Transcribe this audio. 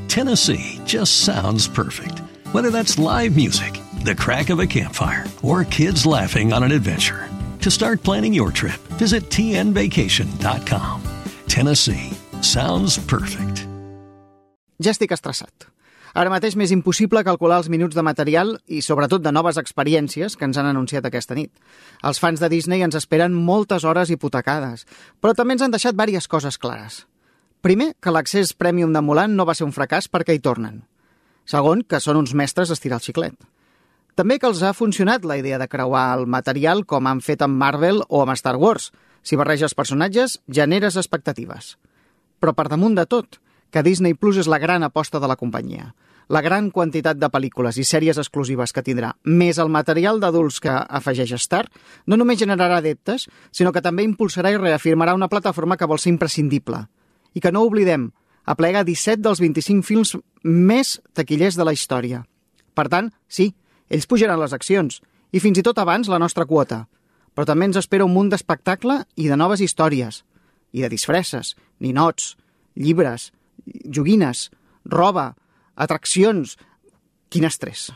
Tennessee just sounds perfect. Whether that's live music, the crack of a campfire, or kids laughing on an adventure. To start planning your trip, visit tnvacation.com. Tennessee sounds perfect. Ja estic estressat. Ara mateix m'és impossible calcular els minuts de material i sobretot de noves experiències que ens han anunciat aquesta nit. Els fans de Disney ens esperen moltes hores hipotecades, però també ens han deixat diverses coses clares. Primer, que l'accés Premium de Mulan no va ser un fracàs perquè hi tornen. Segon, que són uns mestres d'estirar el xiclet. També que els ha funcionat la idea de creuar el material com han fet amb Marvel o amb Star Wars. Si barreges personatges, generes expectatives. Però per damunt de tot, que Disney Plus és la gran aposta de la companyia. La gran quantitat de pel·lícules i sèries exclusives que tindrà, més el material d'adults que afegeix Star, no només generarà adeptes, sinó que també impulsarà i reafirmarà una plataforma que vol ser imprescindible. I que no oblidem, aplega 17 dels 25 films més taquillers de la història. Per tant, sí, ells pujaran les accions, i fins i tot abans la nostra quota. Però també ens espera un munt d'espectacle i de noves històries, i de disfresses, ninots, llibres, joguines, roba, atraccions... Quin estrès!